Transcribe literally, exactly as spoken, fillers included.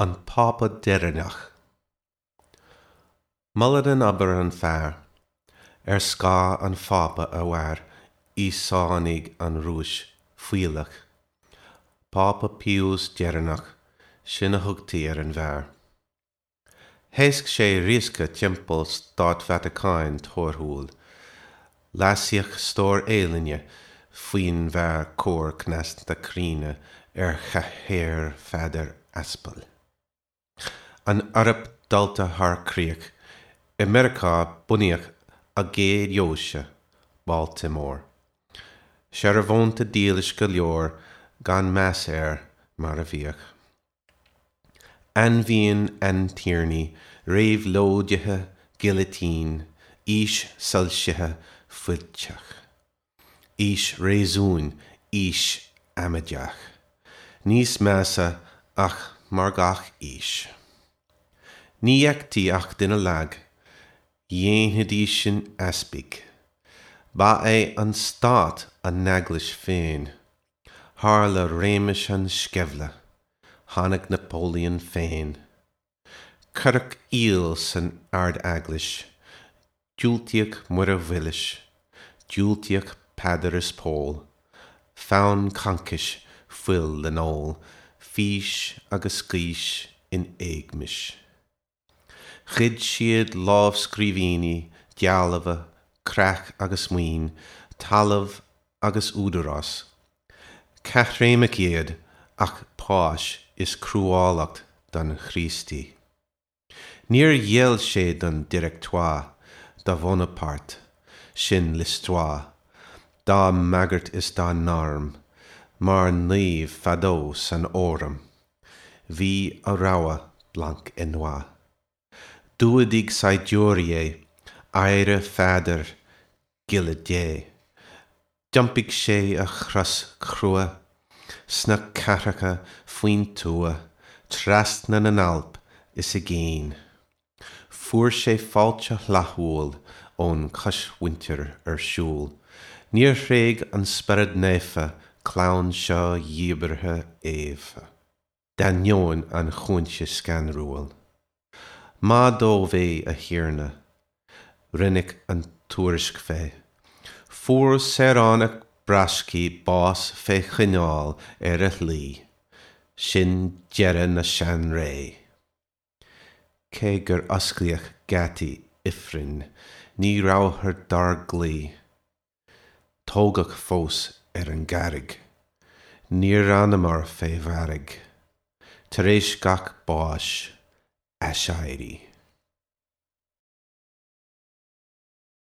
An Pápa Deireanach. Molann an obair an fear. Ar scáth an Phápa a mhair Íosánaigh an Rúis fuílleach. Pápa Pius deireanach, sin a thugtaí ar an bhfear. Thaosc sé riasca timpeall Stát Vatacáin torthúil. Leasaíodh stór ealaíne faoin bhfear cóir cneasta críonna ar chathaoir Pheadair Aspail. An Eoraip dulta thar críoch, i Meiriceá bunaíodh a gcéad dheoise, Baltimore. Searbhónta dílis go leor gan meas air mar a bhíodh. Ainmhíonn aintiarnaí, réabhlóidithe, gilitín, aois soilsithe fuilteach. Aois réasúin, aois amaideach. Níos measa ach mar gach aois. Ní fheictí ach duine lag, dhéanfaidísean easpaig. Ba é an stát a n-eaglais féin. Tharla réimeas an sceimhle. Tháinig Napoleon féin. Cuireadh iall san Ard-Eaglais. Diúltaíodh Muire Mhilis. Diúltaíodh Peadar is Pól. Fonn concais, fuil le n-ól, fís agus gaois in éagmais. Ghoid siad lámhscríbhinní, dealbha, creach agus maoin, talamh agus údarás. Caithréimeach iad ach páis is cruálacht don Chríostaí. Níor ghéill sé don Directoire, do Bhonaparte, sin l'histoire, dá mbagairt is dá n-arm, mar naomh fadó san Fhóram. Bhí a rogha blanc et noir. D'fhuadaigh saighdiúirí é, adhradh Pheadair, giolla Dé. D'iompaigh sé a chros chrua sna cathracha faoin tuath, trasna na nAlp is i gcéin. Fuair sé fáilte fhlaithiúil ón chosmhuintir ar siúl. Níor thréig an Spiorad Naofa clann seo dhíbeartha Éabha, d'ainneoin an chúinse scanrúil. Maith dóibh é, a Thiarna. Rinneadh an tuairisc fé. Fuair saoránach braiscí bás fé choinneáil ar a shlí. Sin deireadh na seanré. Cé gur osclaíodh geataí ifrinn, ní rabhthar dár gcloí. Tógadh fós ar an gcarraig. Níor fhanamar fé mhairg. Tar éis gach báis, aiséirí.